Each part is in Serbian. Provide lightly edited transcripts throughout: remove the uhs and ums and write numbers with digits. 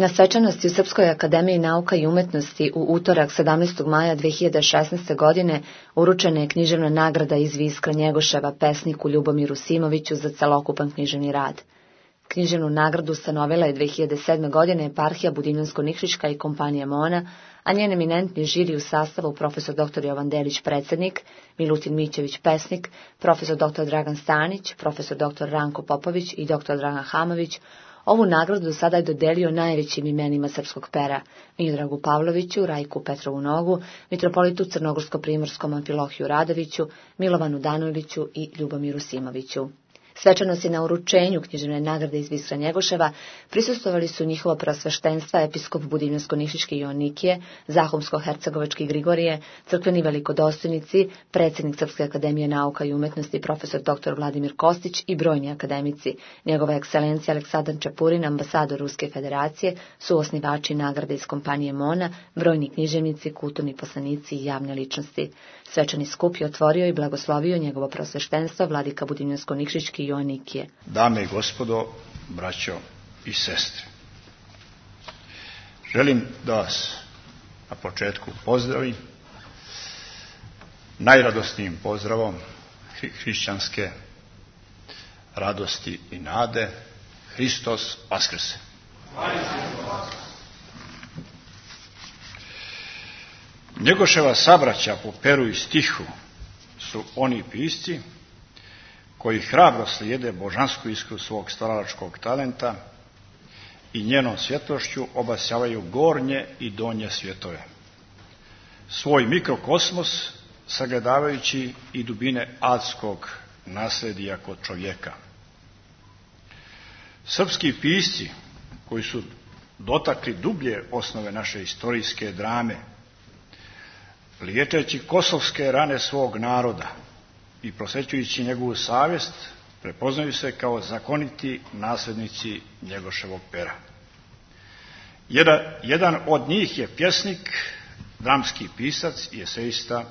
Na svečanosti u Srpskoj akademiji nauka i umetnosti u utorak 17. maja 2016. godine uručena je književna nagrada iz Viskra Njegoševa pesniku Ljubomiru Simoviću za celokupan književni rad. Književnu nagradu ustanovila je 2007. godine eparhija Budimljansko-Nikšićka i kompanija Mona, a njen eminentni žiri u sastavu profesor dr. Jovan Delić predsjednik, Milutin Mićević pesnik, profesor dr. Dragan Stanić, profesor dr. Ranko Popović i dr. Dragan Hamović. Ovu nagradu do sada je dodelio najvećim imenima srpskog pera: Miodragu Pavloviću, Rajku Petrovu Nogu, mitropolitu Crnogorsko-primorskom Amfilohiju Radoviću, Milovanu Daniliću i Ljubomiru Simoviću. Svečanosti na uručenju književne nagrade iz Viskra Njegoševa prisustvovali su njihovo preosveštenstva episkop Budimljansko-Nišićki Joannikije, Zahumsko-hercegovački Grigorije, crkveni velikodostojnici, predsjednik Srpske akademije nauka i umetnosti profesor dr. Vladimir Kostić i brojni akademici, njegova ekscelencija Aleksandar Čapurin, ambasador Ruske federacije, suosnivači nagrade iz kompanije Mona, brojni književnici, kulturni poslanici i javne ličnosti. Svečani skup je otvorio i blagoslovio njegovo preosveštenstvo vladika Budimljansko-Nikšićki Joannikije. Dame i gospodo, braćo i sestre, želim da vas na početku pozdravim najradosnijim pozdravom hrišćanske radosti i nade: Hristos Vaskrse! Njegoševa sabraća po peru i stihu su oni pisci koji hrabro slijede božansku iskru svog stvaralačkog talenta i njenom svjetlošću obasjavaju gornje i donje svjetove. Svoj mikrokosmos sagledavajući i dubine adskog nasledija kod čovjeka. Srpski pisci koji su dotakli dublje osnove naše istorijske drame, liječeći kosovske rane svog naroda i prosvećujući njegovu savjest, prepoznaju se kao zakoniti nasljednici Njegoševog pera. Jedan od njih je pjesnik, dramski pisac i esejista,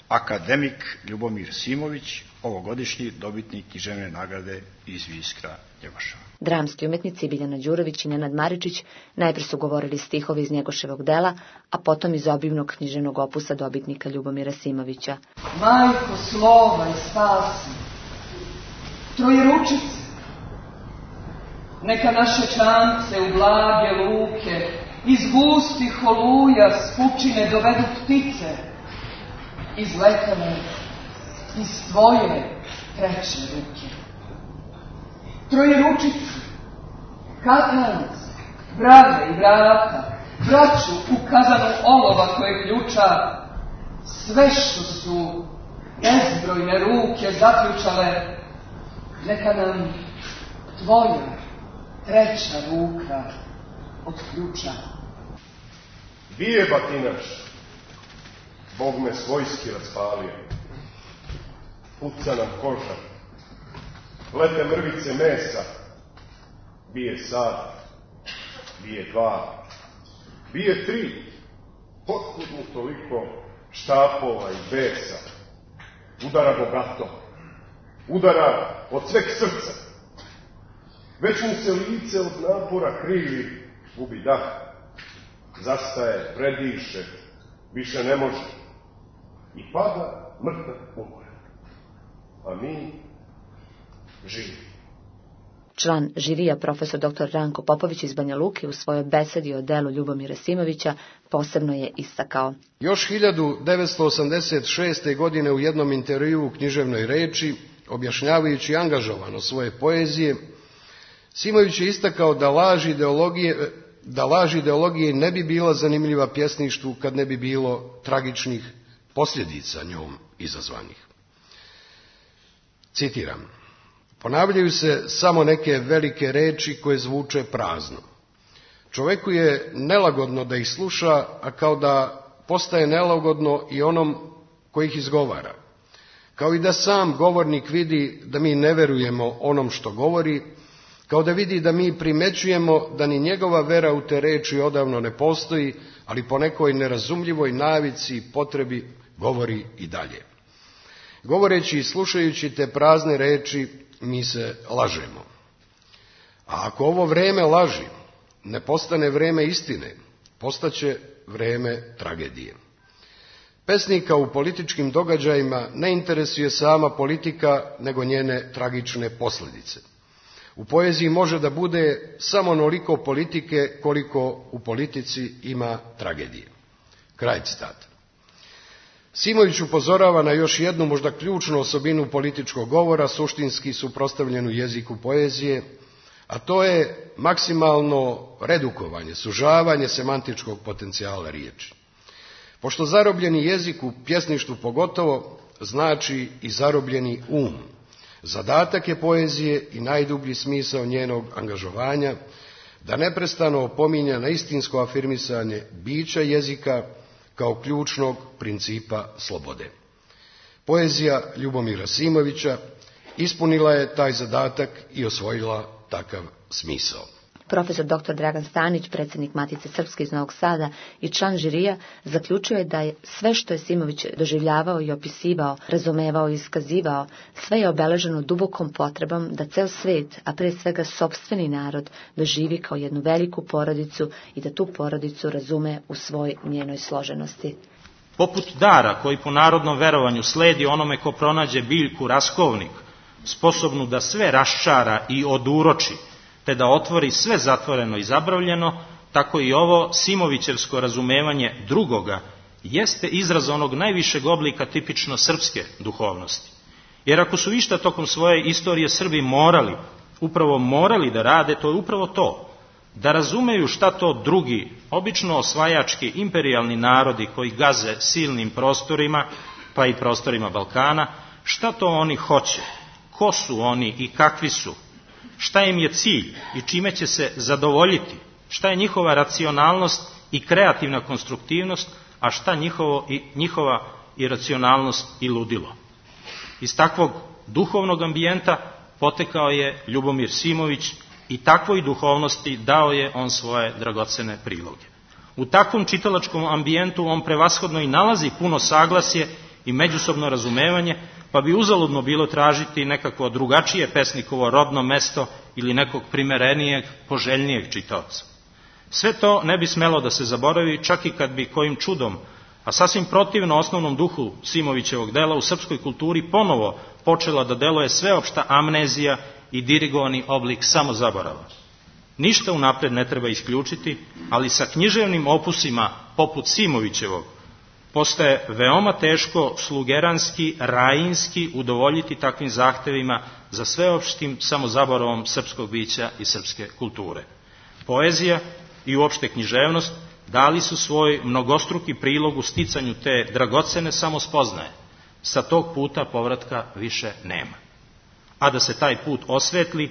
akademik Ljubomir Simović, ovogodišnji dobitnik književne nagrade iz Viskra Njegoševa. Dramski umjetnici Biljana Đurović i Nenad Maričić najprije su govorili stihovi iz Njegoševog dela, a potom iz obimnog književnog opusa dobitnika Ljubomira Simovića. Majko slova i spasi, trojeručice, neka naše čamce u blage luke iz gustih oluja s pučine dovedu ptice, izletane iz tvoje treće ruke. Trojeručice, katanac, brave i vrata, braću u kazanu olova koje ključa, sve što su bezbrojne ruke zaključale, neka nam tvoja treća ruka otključa. Bije batinaš, Bog me svojski raspalio, puca nam koža, lete mrvice mesa, bije sat, bije dva, bije tri, otkud mu toliko štapova i besa, udara bogato, udara od sveg srca, već mu se lice od napora krivi, gubi dah, zastaje, prediše, više ne može i pada mrtav umor, a mi živi. Član žirija profesor dr. Ranko Popović iz Banja Luke u svojoj besedi o delu Ljubomira Simovića posebno je istakao: Još 1986. godine u jednom intervjuu u književnoj reči, objašnjavajući angažovano svoje poezije, Simović je istakao da laž ideologije ne bi bila zanimljiva pjesništvu kad ne bi bilo tragičnih posljedica njom izazvanih. Citiram: ponavljaju se samo neke velike reči koje zvuče prazno. Čovjeku je nelagodno da ih sluša, a kao da postaje nelagodno i onom koji ih izgovara. Kao i da sam govornik vidi da mi ne verujemo onom što govori, kao da vidi da mi primećujemo da ni njegova vera u te reči odavno ne postoji, ali po nekoj nerazumljivoj navici i potrebi govori i dalje. Govoreći i slušajući te prazne reči, mi se lažemo. A ako ovo vrijeme laži ne postane vreme istine, postaće vreme tragedije. Pesnika u političkim događajima ne interesuje sama politika, nego njene tragične posljedice. U poeziji može da bude samo onoliko politike koliko u politici ima tragedije. Kraj citata. Simović upozorava na još jednu možda ključnu osobinu političkog govora, suštinski suprotstavljenu jeziku poezije, a to je maksimalno redukovanje, sužavanje semantičkog potencijala riječi. Pošto zarobljeni jezik u pjesništvu pogotovo znači i zarobljeni zadatak je poezije i najdublji smisao njenog angažovanja da neprestano opominja na istinsko afirmisanje bića jezika kao ključnog principa slobode. Poezija Ljubomira Simovića ispunila je taj zadatak i osvojila takav smisao. Profesor dr. Dragan Stanić, predsjednik Matice Srpske iz Novog Sada i član žirija, zaključio je da je sve što je Simović doživljavao i opisivao, razumevao i iskazivao, sve je obeleženo dubokom potrebom da cel svet, a pre svega sopstveni narod, doživi kao jednu veliku porodicu i da tu porodicu razume u svoj njenoj složenosti. Poput dara koji po narodnom verovanju sledi onome ko pronađe biljku raskovnik, sposobnu da sve raščara i oduroči, te da otvori sve zatvoreno i zabravljeno, tako i ovo Simovićevsko razumevanje drugoga jeste izraz onog najvišeg oblika tipično srpske duhovnosti. Jer ako su išta tokom svoje istorije Srbi upravo morali da rade, to je upravo to, da razumeju šta to drugi, obično osvajački imperijalni narodi koji gaze silnim prostorima, pa i prostorima Balkana, šta to oni hoće, ko su oni i kakvi su, šta im je cilj i čime će se zadovoljiti, šta je njihova racionalnost i kreativna konstruktivnost, a šta njihova iracionalnost i ludilo. Iz takvog duhovnog ambijenta potekao je Ljubomir Simović i takvoj duhovnosti dao je on svoje dragocene priloge. U takvom čitalačkom ambijentu on prevashodno i nalazi puno saglasje i međusobno razumevanje, pa bi uzaludno bilo tražiti nekako drugačije pesnikovo rodno mesto ili nekog primerenijeg, poželjnijeg čitaoca. Sve to ne bi smelo da se zaboravi, čak i kad bi kojim čudom, a sasvim protivno osnovnom duhu Simovićevog dela, u srpskoj kulturi ponovo počela da deluje sveopšta amnezija i dirigovani oblik samozaborava. Ništa unapred ne treba isključiti, ali sa književnim opusima poput Simovićevog postaje veoma teško slugeranski, rajinski udovoljiti takvim zahtevima za sveopštim samozaboravom srpskog bića i srpske kulture. Poezija i uopšte književnost dali su svoj mnogostruki prilog u sticanju te dragocene samospoznaje. Sa tog puta povratka više nema. A da se taj put osvetli,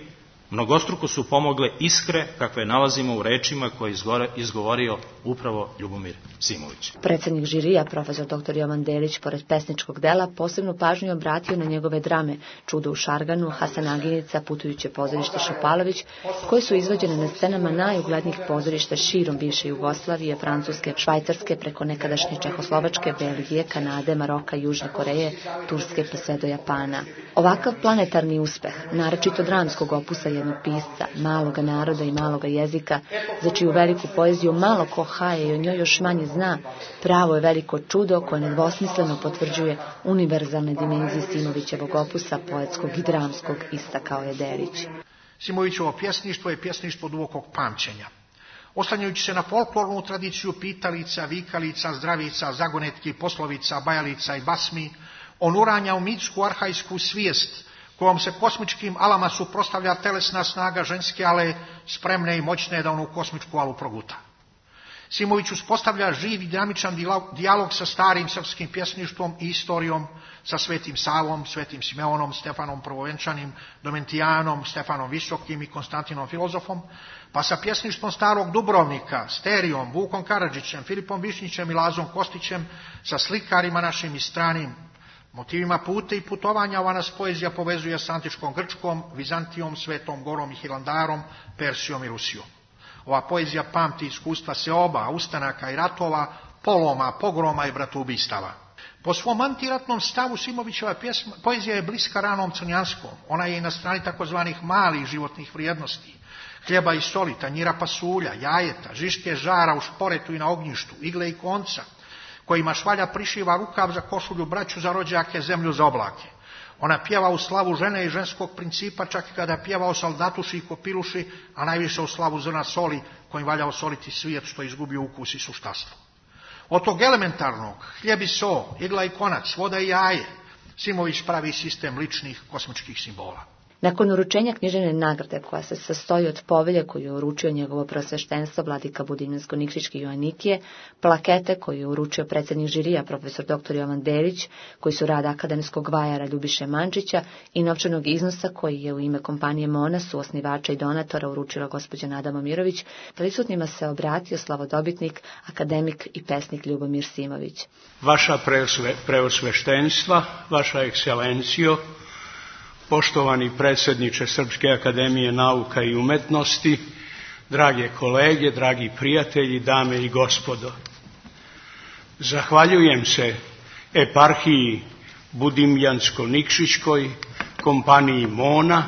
mnogostruko su pomogle iskre kakve nalazimo u rečima koje je izgovorio upravo Ljubomir Simović. Predsjednik žirija, profesor dr. Jovan Delić, pored pesničkog dela, posebnu pažnju obratio na njegove drame Čudo u Šarganu, Hasan Aginica, Putujuće pozorište Šopalović, koje su izvođene na scenama najuglednijih pozorišta širom bivše Jugoslavije, Francuske, Švajcarske, preko nekadašnje Čehoslovačke, Belgije, Kanade, Maroka, Južne Koreje, Turske pa sve do Japana. Ovakav planetarni uspeh, naročito dramskog opusa jednog pisca, maloga naroda i maloga jezika, za čiju veliku poeziju malo ko haje i o njoj još manje zna, pravo je veliko čudo koje nedvosmisleno potvrđuje univerzalne dimenzije Simovićevog opusa, poetskog i dramskog, istakao je Delić. Simovićevo pjesništvo je pjesništvo dubokog pamćenja. Oslanjajući se na folklornu tradiciju pitalica, vikalica, zdravica, zagonetki, poslovica, bajalica i basmi, on uranja u mitsku arhajsku svijest kojom se kosmičkim alama suprotstavlja telesna snaga ženske ale, spremne i moćne da onu kosmičku alu proguta. Simović uspostavlja živ i dinamičan dijalog sa starim srpskim pjesništvom i istorijom, sa Svetim Savom, Svetim Simeonom, Stefanom Prvovenčanim, Domentijanom, Stefanom Visokim i Konstantinom Filozofom, pa sa pjesništvom starog Dubrovnika, Sterijom, Vukom Karadžićem, Filipom Višnjićem i Lazom Kostićem, sa slikarima našim i stranim. Motivima puta i putovanja ova nas poezija povezuje s antičkom Grčkom, Vizantijom, Svetom Gorom i Hilandarom, Persijom i Rusijom. Ova poezija pamti iskustva seoba, ustanaka i ratova, poloma, pogroma i bratubistava. Po svom antiratnom stavu Simovićeva poezija je bliska ranom crnjanskom. Ona je i na strani takozvanih malih životnih vrijednosti. hljeba i soli, tanjira pasulja, jajeta, žiške žara u šporetu i na ognjištu, igle i konca, kojima švalja prišiva rukav za košulju, braću za rođake, zemlju za oblake. Ona pjeva u slavu žene i ženskog principa, čak i kada pjeva o soldatuši i kopiluši, a najviše u slavu zrna soli, kojim valja osoliti svijet što je izgubio ukus i suštastvo. Od tog elementarnog, hljeb i so, igla i konac, voda i jaje, Simović pravi sistem ličnih kosmičkih simbola. Nakon uručenja književne nagrade, koja se sastoji od povelje koju je uručio njegovo prosveštenstvo vladika Budimljansko-Nikšićki Joanikije, plakete koju je uručio predsjednik žirija profesor dr. Jovan Delić, koji su rad akademskog vajara Ljubiše Mančića, i novčanog iznosa koji je u ime kompanije Mona, suosnivača i donatora, uručila gospođa Nada Momirović, prisutnima se obratio slavodobitnik, akademik i pesnik Ljubomir Simović. Vaša preosveštenstva, vaša ekscelencijo, poštovani predsjedniče Srpske akademije nauka i umetnosti, drage kolege, dragi prijatelji, dame i gospodo. Zahvaljujem se eparhiji Budimljansko-Nikšićkoj, kompaniji Mona,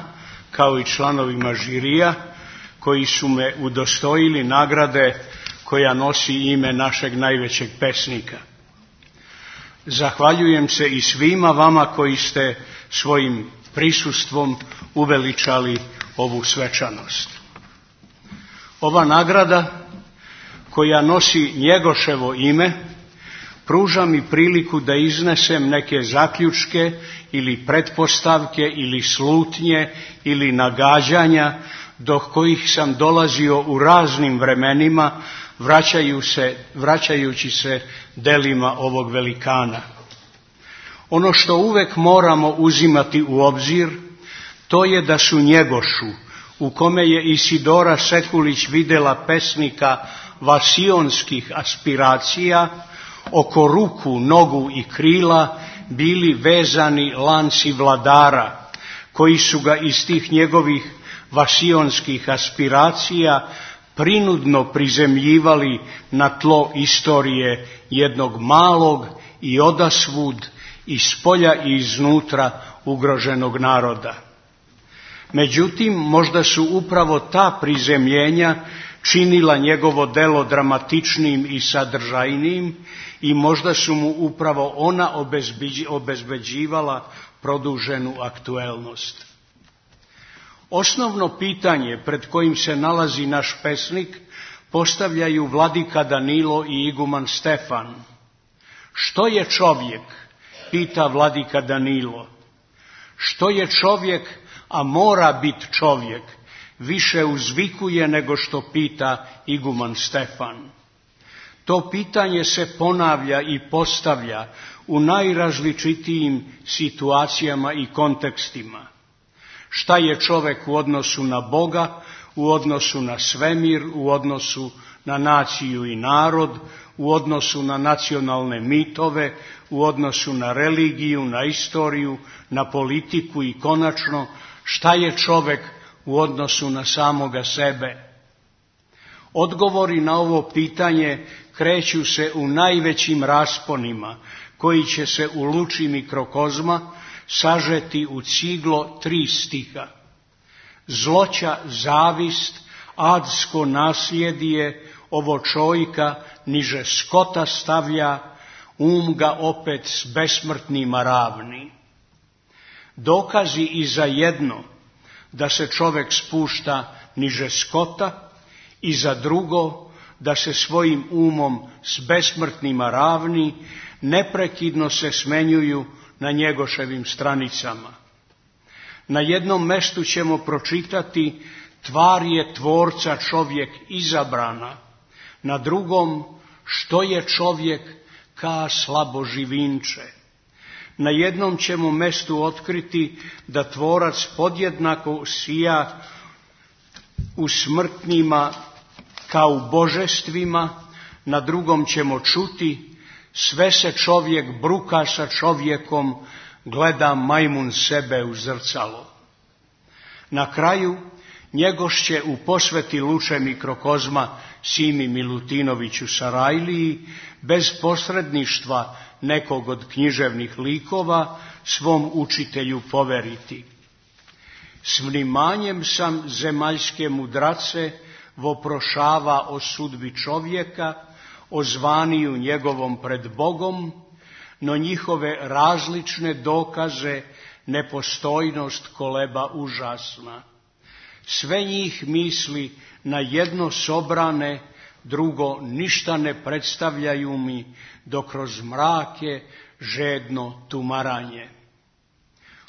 kao i članovima žirija, koji su me udostojili nagrade koja nosi ime našeg najvećeg pesnika. Zahvaljujem se i svima vama koji ste svojim prisustvom uveličali ovu svečanost. Ova nagrada, koja nosi Njegoševo ime, pruža mi priliku da iznesem neke zaključke ili pretpostavke ili slutnje ili nagađanja do kojih sam dolazio u raznim vremenima, vraćajući se delima ovog velikana. Ono što uvek moramo uzimati u obzir, to je da su Njegošu, u kome je Isidora Sekulić videla pesnika vasionskih aspiracija, oko ruku, nogu i krila bili vezani lanci vladara, koji su ga iz tih njegovih vasionskih aspiracija prinudno prizemljivali na tlo istorije jednog malog i odasvud, iz spolja i iznutra ugroženog naroda. Međutim, možda su upravo ta prizemljenja činila njegovo delo dramatičnim i sadržajnim i možda su mu upravo ona obezbeđivala produženu aktuelnost. Osnovno pitanje pred kojim se nalazi naš pesnik postavljaju vladika Danilo i iguman Stefan. Što je čovjek? Pita vladika Danilo. Što je čovjek, a mora biti čovjek, više uzvikuje nego što pita iguman Stefan. To pitanje se ponavlja i postavlja u najrazličitijim situacijama i kontekstima. Šta je čovjek u odnosu na Boga, u odnosu na svemir, u odnosu na naciju i narod, u odnosu na nacionalne mitove, u odnosu na religiju, na istoriju, na politiku i konačno šta je čovjek u odnosu na samoga sebe. Odgovori na ovo pitanje kreću se u najvećim rasponima koji će se u luči mikrokozma sažeti u ciglo 3 stiha. Zloća, zavist, adsko nasljedije, ovo čovjeka niže skota stavlja, ga opet s besmrtnima ravni. Dokazi i za jedno da se čovjek spušta niže skota i za drugo da se svojim umom s besmrtnima ravni neprekidno se smenjuju na Njegoševim stranicama. Na jednom mestu ćemo pročitati tvar je tvorca čovjek izabrana, na drugom što je čovjek ka slabo živinče. Na jednom ćemo mestu otkriti da tvorac podjednako sija u smrtnima kao u božestvima, na drugom ćemo čuti sve se čovjek bruka sa čovjekom, gleda majmun sebe u zrcalo. Na kraju Njegoš će u posveti luče mikrokozma Simi Milutinoviću Sarajliji, bez posredništva nekog od književnih likova, svom učitelju poveriti. S vnimanjem sam zemaljske mudrace voprošava o sudbi čovjeka, o zvaniju njegovom pred Bogom, no njihove različne dokaze nepostojnost koleba užasna. Sve njih misli na jedno sobrane, drugo ništa ne predstavljaju mi, dok kroz mrake žedno tumaranje.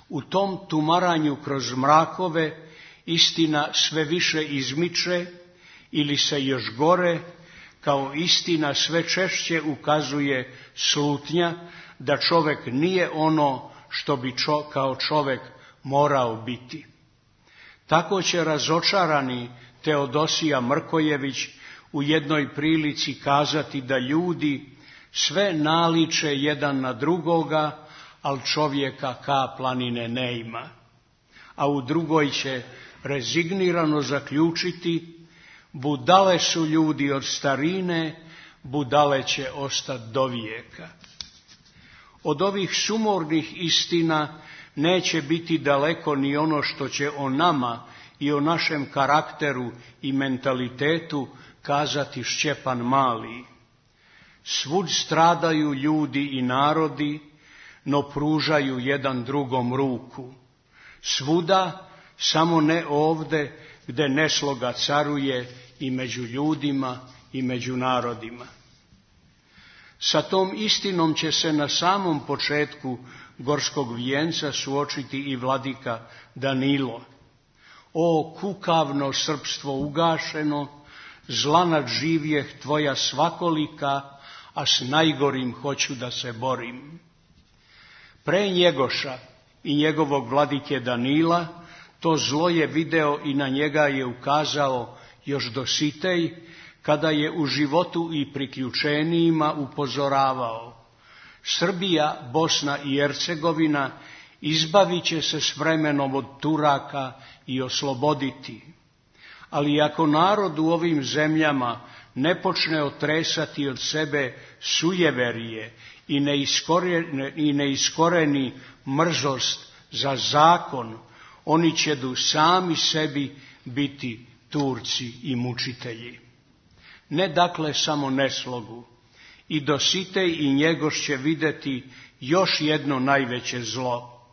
U tom tumaranju kroz mrakove istina sve više izmiče ili se još gore, kao istina sve češće ukazuje slutnja da čovjek nije ono što bi kao čovjek morao biti. Tako će razočarani Teodosija Mrkojević u jednoj prilici kazati da ljudi sve naliče jedan na drugoga, ali čovjeka ka planine ne ima. A u drugoj će rezignirano zaključiti: budale su ljudi od starine, budale će ostati do vijeka. Od ovih sumornih istina neće biti daleko ni ono što će o nama i o našem karakteru i mentalitetu kazati Šćepan Mali. Svud stradaju ljudi i narodi, no pružaju jedan drugom ruku. Svuda, samo ne ovde, gde nesloga caruje i među ljudima i među narodima. Sa tom istinom će se na samom početku Gorskog vijenca suočiti i vladika Danilo. O kukavno srpstvo ugašeno, zla nadživjeh tvoja svakolika, a s najgorim hoću da se borim. Pre Njegoša i njegovog vladike Danila to zlo je video i na njega je ukazao još Dositej, kada je u životu i priključenijima upozoravao: Srbija, Bosna i Hercegovina izbavit će se s vremenom od Turaka i osloboditi. Ali ako narod u ovim zemljama ne počne otresati od sebe sujeverije i ne iskoreni mrzost za zakon, oni će sami sebi biti Turci i mučitelji. Ne dakle samo neslogu. I Dositej i Njegoš će vidjeti još jedno najveće zlo.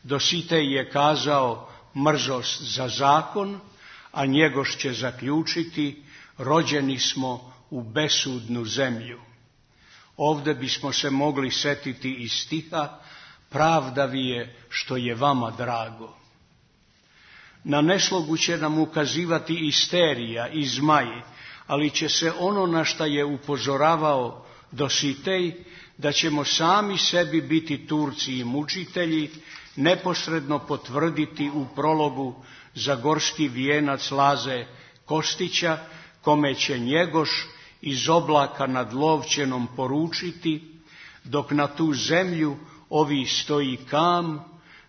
Dositej je kazao mrzost za zakon, a Njegoš će zaključiti: rođeni smo u besudnu zemlju. Ovdje bismo se mogli setiti iz stiha: pravda vi je što je vama drago. Na neslogu će nam ukazivati isterija i zmaj, ali će se ono na šta je upozoravao Dositej, da ćemo sami sebi biti Turci i mučitelji, neposredno potvrditi u prologu za Gorski vijenac Laze Kostića, kome će Njegoš iz oblaka nad Lovćenom poručiti: dok na tu zemlju ovi stoji kam,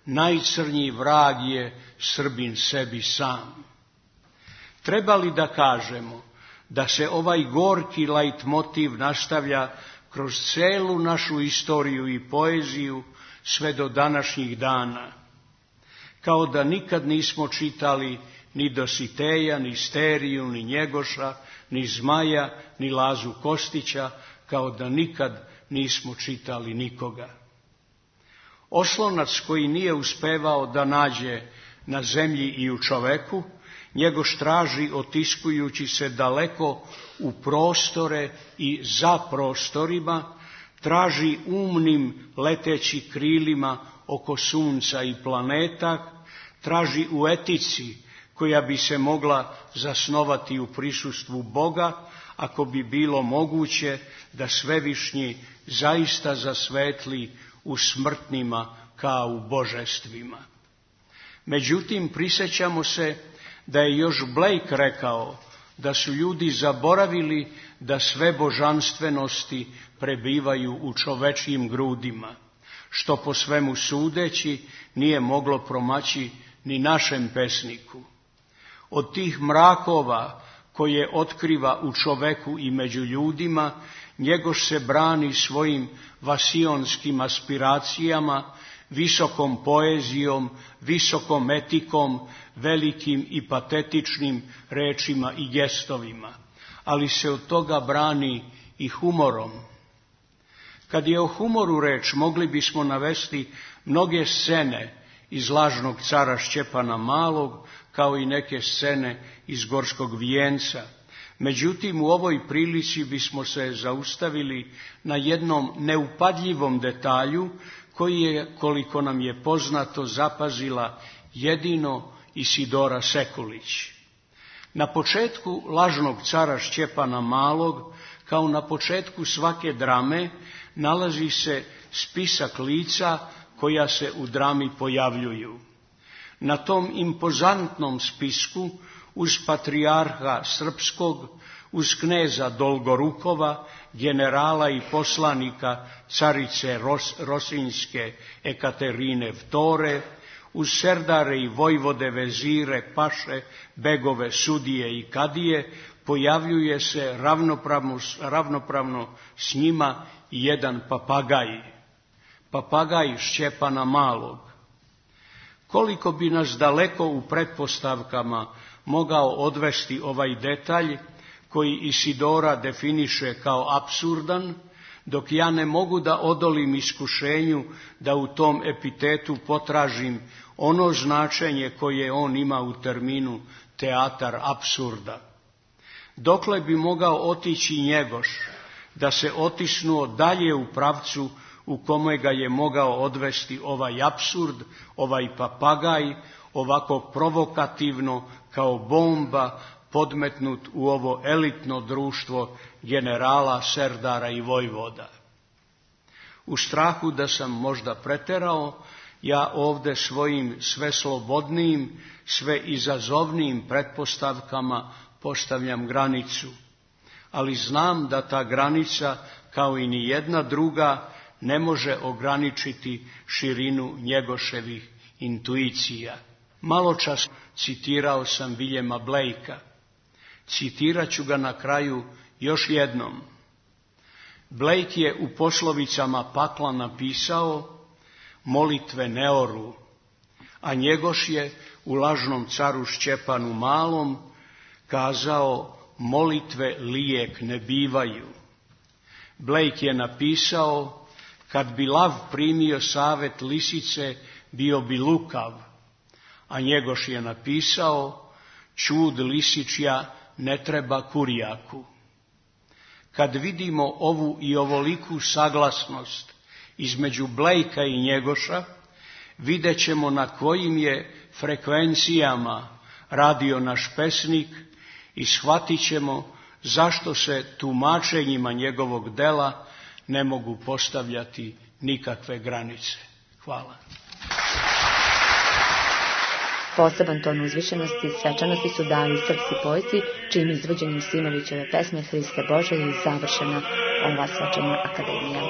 najcrnji vrag je Srbin sebi sam. Treba li da kažemo da se ovaj gorki lajtmotiv nastavlja kroz celu našu istoriju i poeziju sve do današnjih dana? Kao da nikad nismo čitali ni Dositeja, ni Steriju, ni Njegoša, ni Zmaja, ni Lazu Kostića, kao da nikad nismo čitali nikoga. Oslonac koji nije uspevao da nađe na zemlji i u čoveku, Njegoš traži otiskujući se daleko u prostore i za prostorima, traži umnim leteći krilima oko sunca i planeta, traži u etici koja bi se mogla zasnovati u prisustvu Boga, ako bi bilo moguće da Svevišnji zaista zasvetli u smrtnima kao u božestvima. Međutim, prisjećamo se da je još Blake rekao da su ljudi zaboravili da sve božanstvenosti prebivaju u čovečjim grudima, što po svemu sudeći nije moglo promaći ni našem pesniku. Od tih mrakova koje otkriva u čoveku i među ljudima, Njegoš se brani svojim vasionskim aspiracijama, visokom poezijom, visokom etikom, velikim i patetičnim rečima i gestovima, ali se od toga brani i humorom. Kad je o humoru reč, mogli bismo navesti mnoge scene iz Lažnog cara Šćepana Malog, kao i neke scene iz Gorskog vijenca. Međutim, u ovoj prilici bismo se zaustavili na jednom neupadljivom detalju, koji je, koliko nam je poznato, zapazila jedino Isidora Sekulić. Na početku Lažnog cara Šćepana Malog, kao na početku svake drame, nalazi se spisak lica koja se u drami pojavljuju. Na tom impozantnom spisku, uz patrijarha srpskog, uz kneza Dolgorukova, generala i poslanika carice Rosinjske Ekaterine Vtore, uz serdare i vojvode, vezire, paše, begove, sudije i kadije, pojavljuje se ravnopravno s njima i jedan papagaj Šćepana Malog. Koliko bi nas daleko u pretpostavkama mogao odvesti ovaj detalj, koji Isidora definiše kao apsurdan, dok ja ne mogu da odolim iskušenju da u tom epitetu potražim ono značenje koje on ima u terminu teatar apsurda. Dokle bi mogao otići Njegoš, da se otisnuo dalje u pravcu u kome ga je mogao odvesti ovaj apsurd, ovaj papagaj, ovako provokativno kao bomba podmetnut u ovo elitno društvo generala, serdara i vojvoda. U strahu da sam možda preterao, ja ovde svojim sve slobodnijim, sve izazovnijim pretpostavkama postavljam granicu, ali znam da ta granica, kao i ni jedna druga, ne može ograničiti širinu Njegoševih intuicija. Maločas citirao sam Viljema Blakea. Citirat ću ga na kraju još jednom. Blake je u Poslovicama pakla napisao: molitve ne oru, a Njegoš je u Lažnom caru Šćepanu Malom kazao: molitve lijek ne bivaju. Blake je napisao: kad bi lav primio savet lisice, bio bi lukav, a Njegoš je napisao: čud lisičja ne treba kurjaku. Kad vidimo ovu i ovoliku saglasnost između Blakea i Njegoša, vidjet ćemo na kojim je frekvencijama radio naš pesnik i shvatit ćemo zašto se tumačenjima njegovog dela ne mogu postavljati nikakve granice. Hvala. Poseban ton uzvišenosti i svečanosti su dali srpski poeti, čijim izvođenjem Simovićeve pesme Hriste Bože je završena ova svečana akademija.